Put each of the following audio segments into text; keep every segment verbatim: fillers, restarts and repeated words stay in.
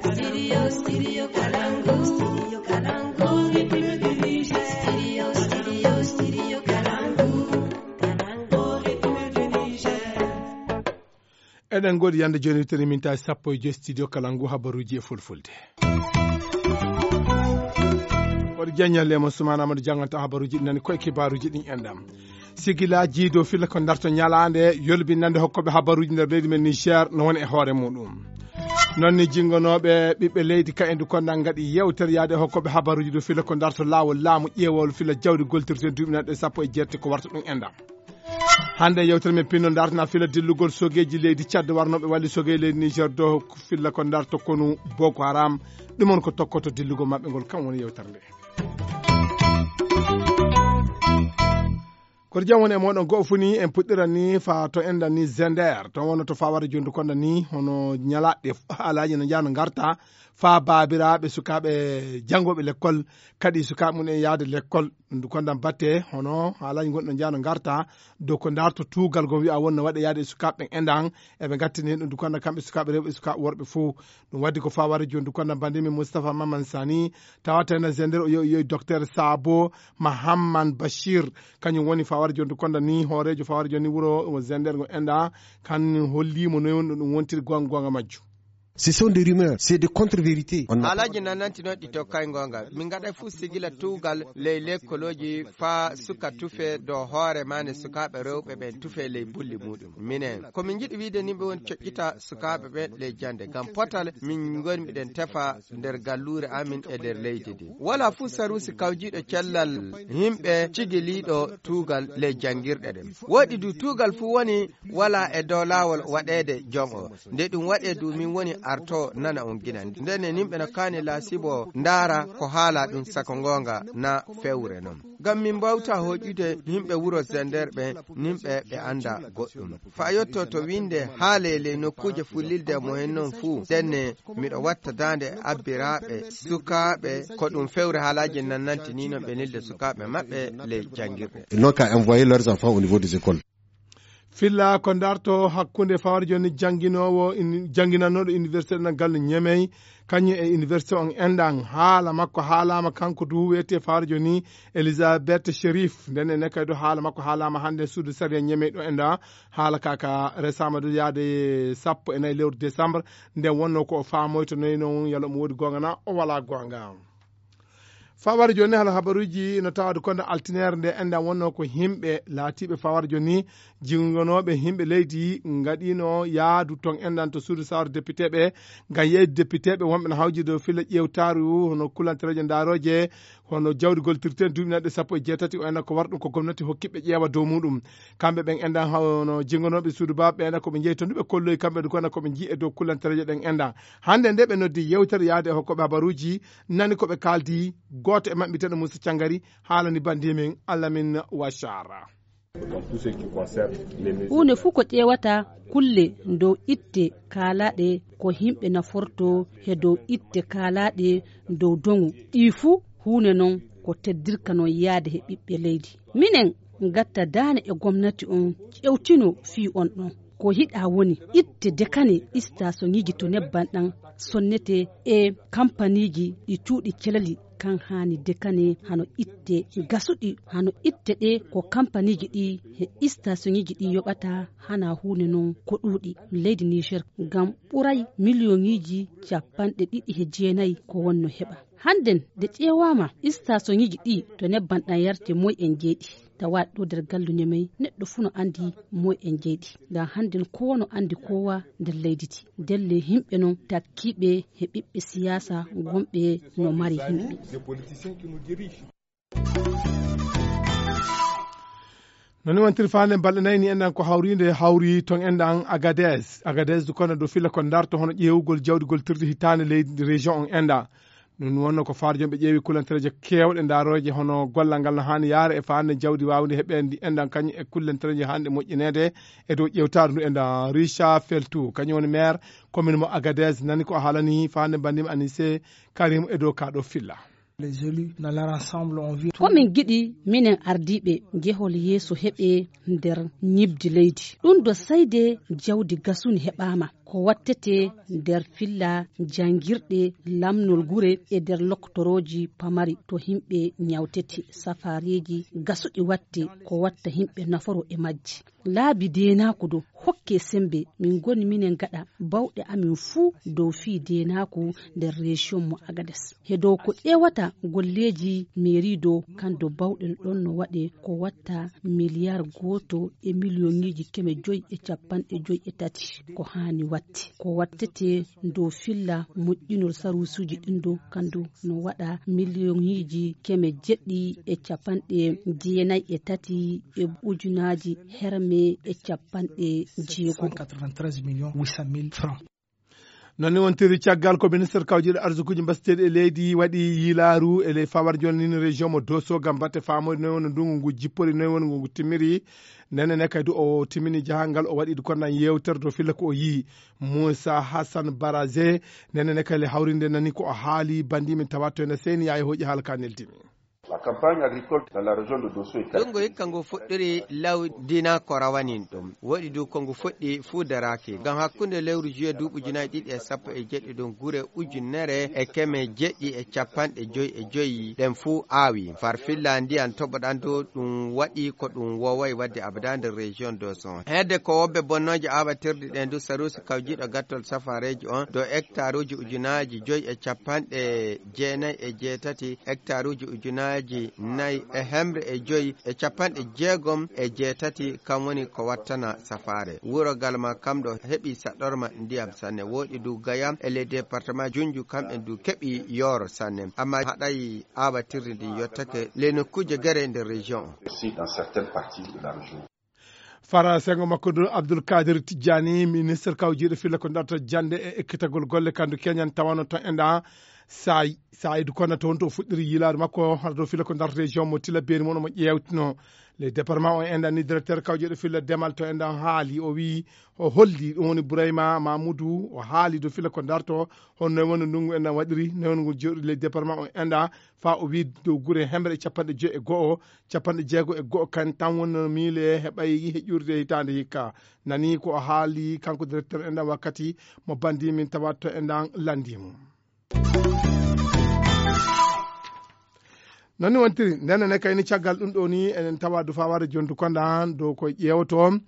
Studio, studio Kalangu. Studio Kalangu. Studio, studio, studio Kalangu. Kalangu, République du Niger. Eɗen ngoodi yande jooni, wittere mintaji sappo e joyi, studio Kalangu, habaruuji e fulfulde. Waɗi jaññal e mo Sumaana Amadou, jannganta habaruuji ɗi nani koye kibaaruuji ɗin enɗam. Sigilaaji dow filla ko darto ñalaande yolbinande hokkooɓe habaruuji nder leydi men Niger no woni e hoore muɗum. Noon ni jinngonooɓe ɓiɓɓe leydi ka endu konda ngaɗi yewtere yaade e hokkooɓe habaruuji dow filla ko darto laawol laamu ƴeewol filla jawdi goltirte duuɓi nanɗe sappo e jeetati ko warta ɗum enɗam. Hannde yewtere men pinno dartana filla dillugol sogeeji leydi Tchad warnooɓe walli sogeeji leydi Niger dow filla ko darto konu Boko Haram. Ɗum on ko tokkoto dillugol maɓɓe ngol, kam woni yewtere nde. Koto jam woni e mooɗon, go'o fuu ni en puɗɗiran ni faa to enɗan ni Zender, to wonno to faware jondu konda ni hono ñalaaɗe f-, haalaaji no njaha no ngarta faa baabiraaɓe sukaaɓe janngooɓe lekkol, kadi sukaaɓe mum en yahde lekkol. Ndu kondan batte hono haalaaji ngonɗi no njaha no ngarta dow ko darto tuugal ngon wi'a wonno waɗa yahde e sukaaɓe ɓen enɗan, eɓe ngattini heen ɗum ndu kondan kamɓe sukaaɓe rewɓe e sukaaɓe worɓe fuu. Ɗum waɗi ko faware jondu kondan banndi men Moustapha Maman Sani, tawata ena Zender o yo, yo Docteur Sabo Mahamman Bachir, kañum woni faware jondu kondan ni hooreejo faware jondu ni wuro Zender ngo enɗan, kan holliimo noy woni ɗum wontiri goonga goonga majju. Ce sont des rumeurs, c'est des contre-vérités. On n'a pas Haalaaji nan nantinooɗi to kay goonga. Min ngaɗa fuu sigila tuugal ley lekkolooji faa suka tufe dow hoore maane sukaaɓe rewɓe ɓen tufe ley bulli muɗum. Minen, ko min njiɗi wiide ni ɓe woni coƴƴita sukaaɓe ɓen ley jannde. Ngam potal min ngoni miɗen tefa nder galluure amin e nder leydi ndi. Wala fuu saruusi kawjiiɗo cellal yimɓe cigiliiɗo tuugal ley janngirɗe ɗen. Woɗi du tuugal fuu woni wala e dow laawol waɗeede jon o. Nde ɗum waɗee du min woni arto nana on gina. Ndenne nimɓe no kaani laasibo ndaara ko haala ɗum sako ngoonga na fewre non. Ngam min mbawta hoƴude yimɓe wuro Zender ɓe, nimɓe ɓe annda goɗɗum. Faa yotto to winnde haale ley nokkuuje fullilde mo hen non fuu. Ndenne miɗo watta daande abbiraaɓe sukaaɓe ko ɗum fewre haalaaji nan nantinino ɓe nilde sukaaɓe maɓɓe ley janngirɗe. Ils n'ont qu'à envoyer leurs enfants au niveau des écoles. Filla ko darto hakkunde fawar joni jannginoowo in-, jannginannooɗo université ɗo gallo Ñemey, kañum e université on enɗan. Haala makko haalaama kanko du wiyetee fawar joni Elisabeth Sherif. Nden ene kay ɗo haala makko haalaama hannde suudu sariya Ñemey ɗo enɗan. Haala ka ka resaama du yaade sappo e nayi lewru décembre. Nden wonno ko o faamoyto noyi non yalla omo woodi goonga na o walaa goonga. Fawar joni hala habaruuji no tawaade konde altinere nde enɗan wonno ko himɓe laatiiɓe fawar joni jingonooɓe himɓe leydi ngaɗino yaadu ton enɗan to suudu sawar député ɓe ngam yeyde député ɓe wonɓe no hawji dow filla ƴeewtaaru hono kulantereeje ndaarooje hono jawdi goltirte duuɓi nanɗe sappo e jeetati o enɗan ko war ɗum ko gomnati hokkiɓe ƴeewa dow muɗum. Kamɓe ɓen enɗan hono jingonooɓe suudu baaɓe ɓe enɗan ko ɓe jeyi to ndu ɓe kolloyi kamɓe du kono ko ɓe jii e dow kulantereeje ɗen enɗan. Hannde nde ɓe noddi yewtere yaade e hokkooɓe habaruuji nani ko ɓe kaaldi gooto e maɓɓe biyeteeɗo Moussa Thiangari haalani banndiimen Alamin Wachara. Huunde fuu ko ƴeewata kulle dow itte kaalaaɗe ko yimɓe naforto he dow itte kaalaaɗe dow doŋu ɗii fuu huunde non ko teddirka non yaade he ɓiɓɓe leydi. Minen ngatta daane e gomnati on ƴewtino fii on ɗon. Ko hiɗa woni itte dekane istasoŋiji to nebban ɗan sonnete e kampaniiji ɗi cuuɗi celali kan haani dekane hano itte gasuɗi hano itte ɗe ko kampaniiji ɗi he istasoŋiji ɗi yoɓata hana huunde non ko ɗuuɗi leydi Niger ngam ɓuray miliyoŋiji cappanɗe ɗiɗi he jeenayi ko wonno heɓa. Hannden de ƴeewaama istasoŋiji ɗi to nebban ɗan yarte moy en jeyɗi. Tawa ɗo nder gallu Ñemey neɗɗo fuu no anndi moy en jeyɗi. Ngam hannden koo no anndi koowa nder leydi ndi. Ndelle yimɓe non takkiiɓe he ɓiɓɓe siyaasa gonɓe no mari yimɓe. Noni wontiri faande balɗe nayi ni enɗan ko hawriinde hawri ton enɗan Agadez. Agadez du kono dow filla ko darto hono ƴeewugol jawdi goltirdi hitaande leydi région on enɗan. Ɗum wonno ko faarjo ɓe ƴeewi kulantereeje keewɗe ndaarooje hono gollal ngal no haani yaare e faande jawdi waawde heɓeende enɗan kañum e kulantereeje haanɗe moƴƴineede e dow ƴeewtaare ndu enɗan. Richard Feltou kañum woni maire commune mo Agadez nani ko haalani faande banndima Anissé Karim e dow kaa ɗo filla. Les élus dans leur ensemble ont vu. Ko min ngiɗi minen ardiiɓe jehol yeeso heɓe nder ñiɓdi leydi. Ɗum ɗo sayde jawdi gasuni heɓaama. Ko wattete nder filla janngirɗe lamnol gure e nder loktorooji pamari to yimɓe ñawtete, safaareeji gasuɗi watte ko watta yimɓe naforo e majji. Laabi deenaaku ɗo hokke semmbe, min ngoni minen gaɗa bawɗe amin fuu dow fii deenaaku nder reesiyonmu Agades. He dow ko ƴeewata golleeji meeri ɗo, kan ɗo bawɗe ɗon no waɗe ko watta miliyar gooto e miliyoŋiiji keme joy e cappanɗe joy e tati ko haani watte. Ko wattete dow filla moƴƴinol saruusuuji ɗin ɗo, kan ɗo no waɗa miliyoŋiiji keme jeɗɗi e cappanɗe jeenay e tati e ujunaaji herme e cappanɗe jeego. Cent quatre-vingt-treize millions huit cent mille francs. Noon ne wontiri caggal ko ministre kawjiiɗo arsukuuji mbasteeɗi e leydi waɗi yiilaaru e ley fawar jonnini région mo Dosso ngam batte faamoyde noy woni ndungu ngu jippori, noy woni ngu timmiri. Nene ne kadi o timmini jahangal, o waɗi konnan yewtere to filla ko o yii. Moussa Hassan Baraze, nene ne kadi hawrinde nani ko o haali bandi min tawa to ene seyni yaay hoƴi haala ka neldimi. La campagne agricole dans la région de Dosso est Ɗum ngo hikka ngo fuɗɗiri lawdina ko rawanin ɗum. Woɗi du ko ngu fuɗɗi fuu daraaki. Ngam hakkunde lewru juillet duuɓi ujunaaji ɗiɗi e sappo e jeɗɗi ɗum gure ujunere e keme jeɗɗi e capanɗe joy e joy ɗen fuu aawi. Farfilla ndiyan toɓoɗan du ɗum waɗi ko ɗum wooway waɗde abada nder région Dosso. Hedde ko wobbe bonnooje aawatirɗi ɗen du saruusi kawjiiɗo gattol safareeji on do hectaruuji ujunaaji joy e capanɗe jeenay e jeetati, hectaruuji ujunaaji nay e hemre e joy e capanɗe jeegom e jeetati, kam woni ko wattana safaare. Wuro Galma kam ɗo heɓi saɗɗorma ndiyam sanne. Woɗi du Gaya e les départements Junju, kamɓe du keɓi yooro sanne. Amma haɗay aawatirdi ndi yottake les nokkuuje gere nder région on. Aussi dans certaines parties de la région. Fara sengo makko ɗum Abdoul Kadir Tidjani, ministre kawjiiɗo filla ko darta jannde e ekkitagol golle, kandu keñan tawano ton enda saayi. Saayidu kono toon to fuɗɗiri yiilaade makko, hara ɗo filla ko darta région mo Tillabéri mon omo ƴeewtino. Les départements o enda ni directeur kawjiiɗo filla demal to enda haali, o wi o holli ɗum woni Bourayma Mamoudou, o haali ɗo filla ko darto, hono noy woni ndungu enda waɗiri, noy woni ngu jooɗi les départements o enda, fa o wi dow gure hemre e capanɗe joy e go'o, capanɗe jeego e go'o kan tan wonno miile heɓay heƴuurde hitaande hikka. Nani ko o haali kanko directeur en ɗan wakkati mo bandi min tawa to en ɗan lanndi mo. Nani wontiri, nden ne kayni caggal ɗum ɗo ni enen tawa du faware jondu konda dow ko ƴeewoto,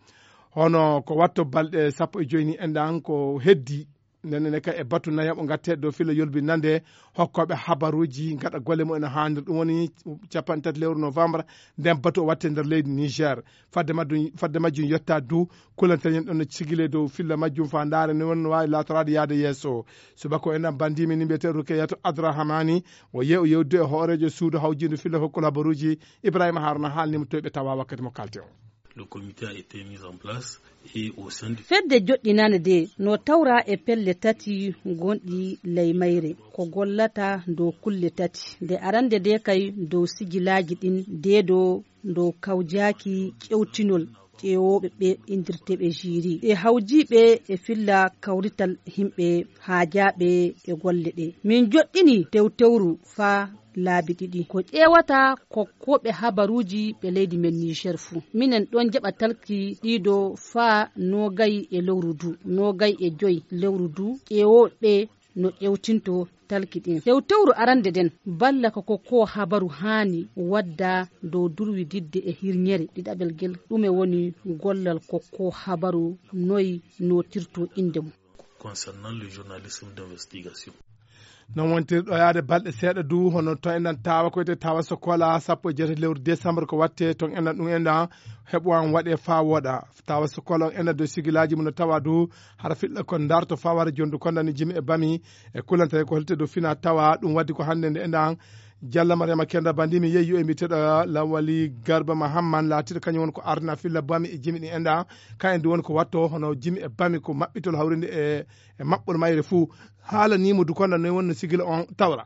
hono ko watto balɗe sappo e joy ni en ɗan ko heddi. Nden ne kay e batu nayaɓo ngatte dow filla yolbi nande hokkooɓe habaruuji ngaɗa golle mumen no haaniri. Ɗum woni capanɗe tati lewru novembre, nden batu o watte nder leydi Niger. Fadde majjum, fadde majjum yetta du, kulantereñen ɗon no cigile dow filla majjum fa ndaare no woni no waawi laatoraade yaade yeeso. Subaka o enɗan bandimi ni mbiyetee Rukeyatou Adrahamani, o yeewu yewdude e hooreejo suudu hawjiindu filla hokkol habaruuji Ibrahima Haruna haalnimo toy ɓe tawa wakkati mo kalten o. Le comité a été mis en place et au sein du Fedde joɗɗinande de no tawra e pelle tati gonɗi ley mayre, ko gollata dow kulle tati. Nde arande de kay dow sijilaaji ɗin, de dow dow kawjaaki ƴewtinol ƴeewooɓe ɓe indirteeɓe jiri. E hawjiiɓe e filla kawrital himɓe haajaaɓe e golle ɗe. Min joɗɗini tewtewru faa laabi ɗiɗi. Ko ƴeewata kokkooɓe habaruuji ɓe leydi men Niger fuu. Minen ɗon jaɓa talki ɗiɗo faa noogay e lewru du, noogay e joy lewru du, ƴeewooɓe ɓe no ƴewtinto talki ɗin. Tewtewru arande nden balla ko kokkoo habaru haani wadda dow durwididde e hirñere ɗiɗaɓel ngel. Ɗume woni gollal kokkoo habaru, noy nootirto innde mum? Concernant le journalisme d'investigation. Non wontiri ɗo yaade balɗe seeɗa du, hono to enɗan tawa ko wiyetee tawa sokola sappo e jeetati lewru décembre ko watte ton enɗan ɗum enɗan heɓo an waɗe faa wooɗa. Tawa sokola on enɗan dow sigilaaji mum no tawa du hara fiɗla kon darto faa wara jondu kon dani jimi e bami e kulantare ko holte dow fina tawa ɗum waddi ko hannde nde enɗan Jalla Mariama Kenda Bandi mi yeeyi yo e mbiteɗo Lawali Garba Mahamman laatiɗo kañum woni ko ardina filla bami e jimi ɗi enɗan. Ka en du woni ko watto hono jimi e bami ko maɓɓitol hawrinde e e maɓɓol mayre fuu. Haalanimo du konda noy wonno sigila on tawra.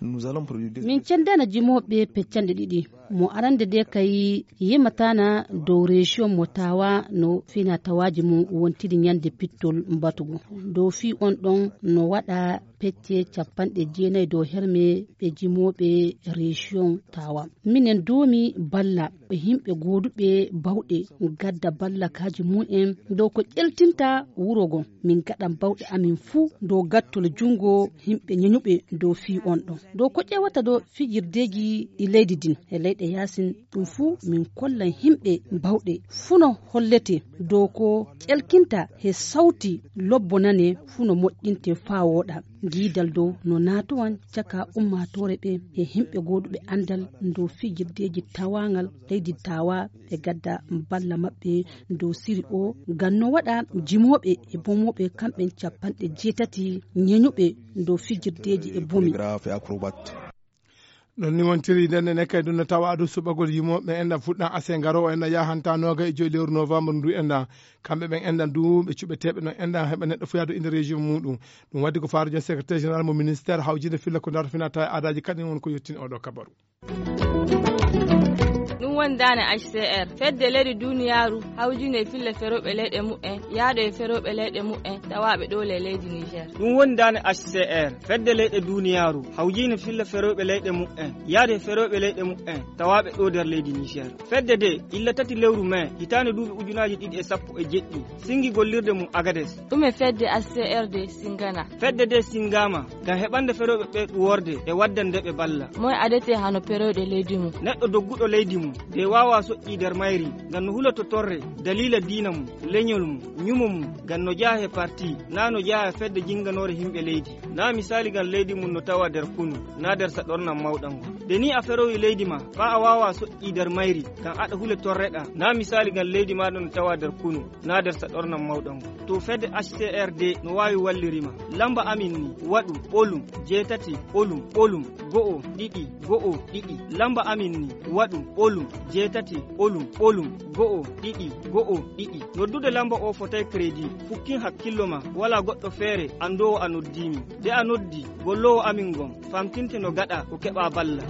Min cendana jimooɓe peccanɗe ɗiɗi. Mo arande de kay yematana dow région mo tawa no fina tawaji mum wontiri ñande pittol mbatugo. Dow fi on ɗon no waɗa pecce capanɗe jeenayi dow herme ɓe jimooɓe région tawa. Minen doomi balla ɓe yimɓe gooduɓe bawɗe gadda ballakaaji mum en dow ko ƴeltinta wuro ngon. Min gaɗan bawɗe amin fuu dow gattol junngo yimɓe ñeñuɓe dow fii on ɗon. Dow ko ƴeewata dow fijirdeeji ɗi leydi din e leyɗe yaasin ɗum fuu min kollan yimɓe bawɗe fuu no hollete dow ko ƴelkinta he sawti lobbo nane fuu no moƴƴinte faa wooɗa. Giidal dow no naatowan caka ummaatoore ɓe e yimɓe gooduɓe anndal dow fijirdeeji tawaangal leydi tawa ɓe gadda balla maɓɓe dow siri o ngam no waɗa jimooɓe e bomooɓe kamɓen capanɗe jeetati ñeñuɓe dow fijirdeeji e bomi. Ɗon ni wontiri nden ne kay ɗum no tawa adu suɓagol yimooɓe enɗan fuɗɗan ase ngaro o enɗan yahanta nooga e joyi lewru novembre ndu enɗan. Kamɓe ɓen enɗan du ɓe cuɓeteeɓe non enɗan heɓa neɗɗo fuu yaadu inde région muɗum. Ɗum waddi ko faarujo secrétaire général mo ministère hawjinde filla ko darto finata e aadaji kaɗin won ko yettini oɗo kabaru. Ɗum woni daane H C R fedde leyɗe duniyaaru hawjinde e fille ferooɓe leyɗe muɓɓen yahɗo e ferooɓe leyɗe muɓɓen tawaaɓe ɗoo le leydi Niger. Ɗum woni daane H C R fedde leyɗe duniyaaru hawjinde fille ferooɓe leyɗe muɓɓen yahde e ferooɓe leyɗe muɓɓen tawaaɓe ɗoo nder leydi Niger. Fedde de illa tati lewru mai hitaande duuɓi ujunaaji ɗiɗi e sappo e jeɗɗi singi gollirde mum Agades. Ɗume fedde H C R de singana? Fedde de singama ngam heɓande ferooɓe ɓe ɗuworde e waddande ɓe balla. Moy adete hano perooɗe leydi mum? Neɗɗo dogguɗo leydi mum de waawa soƴƴi nder mayri ngam no huloto torre daliila diina mum, leñol mum, ñumo mum ngam no jeya he parti na no jeya he fedde jinganoore yimɓe leydi. Na misaali ngam leydi mum no tawa nder kunu na nder saɗornam mawɗam ngon. Nde ni a ferowi leydi ma faa a waawa soƴƴi nder mayri ngam aɗa hule torreɗa na misaali ngam leydi maaɗa no tawa nder kunu na nder saɗornam mawɗam ngon. To fedde H C R de no waawi walliri ma. Lamba amin ni waɗu ɓolum jeetati ɓolum ɓolum go'o ɗiɗi go'o ɗiɗi. Lamba amin ni waɗu ɓolum jeetati ɓolum ɓolum go'o ɗiɗi go'o ɗiɗi. Noddude lamba o fotay crédit. Fukkin hakkillo ma wala goɗɗo feere anndoowo a noddii min. De a noddi golloowo amin ngon famtinte no gaɗa ko keɓa balla.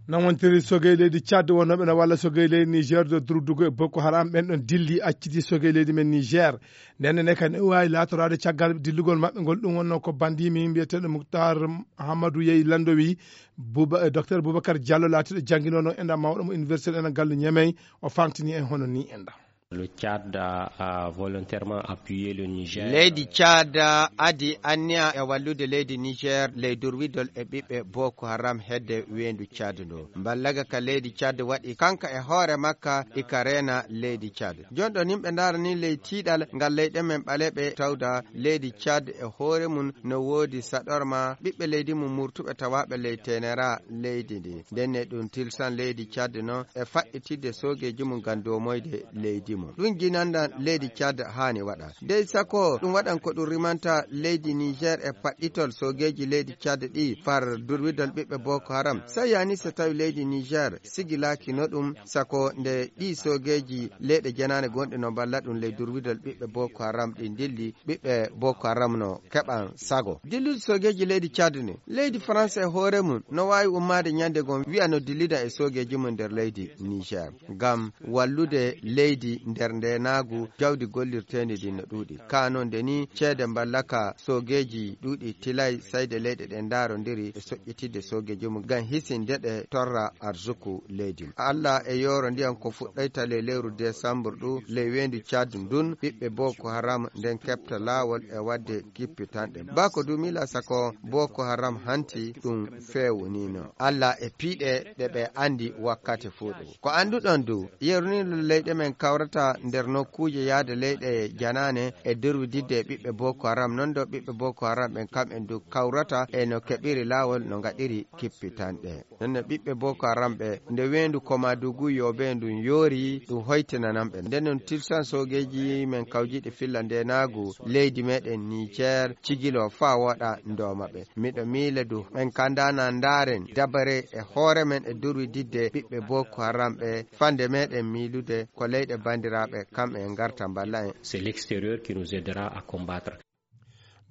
Nan wontiri sogey leydi Tchad wonnooɓe no walla sogey leydi Niger do durdugo e Boko Haram ɓen ɗon dilli acciti sogey leydi men Niger. Nden ne kadi ne waawi laatoraade caggal dillugol maɓɓe ngol ɗum wonnoo ko bandiimi mbiyeteeɗo Muktar Hamadou Yey Landowi. Buba, eh, Docteur Boubacar Diallo laatiiɗo jannginoono enɗa mawɗo mo université enɗa gallu Ñemey o famtini en hono ni enɗa. Le Tchad a, a volontairement appuyé le Niger. Leydi Tchad adi anniya e wallude leydi Niger ley durwidol e ɓiɓɓe Boko Haram hedde weendu Tchad ndo. Mballaga ka leydi Tchad waɗi kanka e hoore makka ika reena leydi Tchad. Jonɗon yimɓe ndaara ni ley tiiɗal ngal leyɗe men ɓaleɓe tawda leydi Tchad e hoore mum no woodi saɗorma ɓiɓɓe leydi mum murtuɓe tawaaɓe ley tenera leydi ndi. Ndenne ɗum tilsan leydi Tchad non e faɗɗitidde soogeeji mum ngam doomoyde leydi mum. Ɗum jinandan leydi Tchad haani waɗa. Dey sako ɗum waɗan ko ɗum rimanta leydi Niger e faɗɗitol soogeeji leydi Tchad ɗi far durwidol ɓiɓɓe Boko Haram. Sai yani so tawi leydi Niger sigilaaki no ɗum sako nde ɗi soogeeji leyɗe jenaane gonɗe no mballa ɗum ley durwidol ɓiɓɓe Boko Haram ɗi ndilli ɓiɓɓe Boko Haram no keɓan sago. Dillude soogeeji leydi Tchad ni leydi France e hoore mum no waawi ummaade ñande gom wi'a no dillida e soogeeji mum nder leydi Niger. Ngam wallude leydi nder ndenaagu jawdi gollirteendi ndi no ɗuuɗi. Kaa non nde ni ceede mballaka soogeeji ɗuuɗi tilay sayde leyɗe ɗe ndaarondiri e soƴƴitidde soogeeji mum ngam hisinde ɗe torra arsuku leydi mum. Alla e yooro ndiyan ko fuɗɗayta ley lewru desambur ɗu ley weendu Tchad ndun ɓiɓɓe Boko Haram nden keɓta laawol e waɗde kippitanɗe. Baa ko duumila sako Boko Haram hanti ɗum feewunino. Alla e piiɗe ɗe ɓe anndi wakkati fuu ɗum. Ko annduɗon du, yerunino leyɗe men kawrata nder nokkuuje yahde leyɗe janaane e durwididde e ɓiɓɓe Boko Haram, non do ɓiɓɓe Boko Haram ɓen kamɓen du kawrata e no keɓiri laawol no ngaɗiri kippitanɗe. Nonne ɓiɓɓe Boko Haram ɓe nde weendu Komadugu Yobe ndun yoori ɗum hoytinanan ɓe. Nden non tilsan soogeeji men kawjiiɗi filla ndenaagu leydi meɗen Niger cigilo faa woɗa ndooma ɓe. Miɗo miile du ɓen kandana ndaaren dabare e hoore men e durwididde ɓiɓɓe Boko Haram ɓe fande meɗen miilude ko leyɗe bandi Tiraaɓe kam e ngarta mballa en. C'est l'extérieur qui nous aidera à combattre.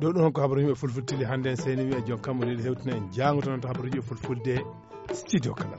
Ɗo ɗon ko habaruji yimɓe fulfulde tili hannde en seyni wiya joom kammu leydi hewtina en jaango tan to habaruji yimɓe fulfulde studio kala.